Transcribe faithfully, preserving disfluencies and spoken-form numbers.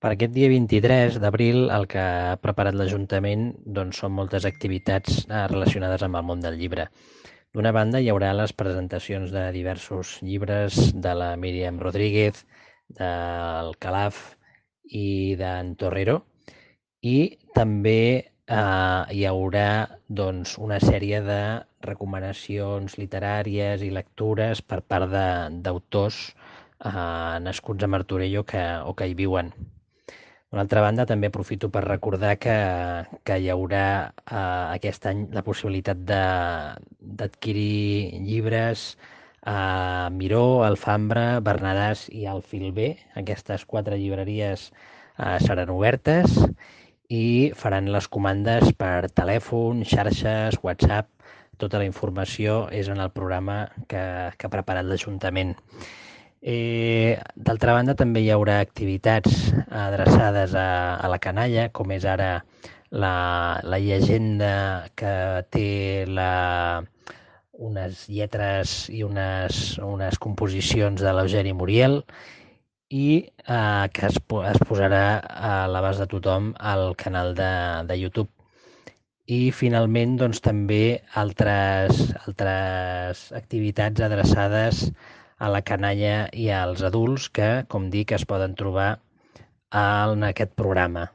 Per aquest dia vint-i-tres d'abril el que ha preparat l'Ajuntament doncs, són moltes activitats eh, relacionades amb el món del llibre. D'una banda, hi haurà les presentacions de diversos llibres de la Míriam Rodríguez, del Calaf i d'en Torrero, i també eh, hi haurà doncs, una sèrie de recomanacions literàries i lectures per part d'autors eh, nascuts a Martorell o que, o que hi viuen. D'una altra banda, també aprofito per recordar que, que hi haurà eh, aquest any la possibilitat d'adquirir llibres a Miró, Alfambra, Bernadàs i Alfilbé. Aquestes quatre llibreries eh, seran obertes i faran les comandes per telèfon, xarxes, WhatsApp. Tota la informació és en el programa que, que ha preparat l'Ajuntament. Eh, D'altra banda, també hi haurà activitats adreçades a, a la canalla, com és ara la, la llegenda que té la, unes lletres i unes, unes composicions de l'Eugeni Muriel i eh, que es, es posarà a l'abast de tothom al canal de, de YouTube. I finalment doncs, també altres, altres activitats adreçades a la canalla i als adults que, com dic, es poden trobar en aquest programa.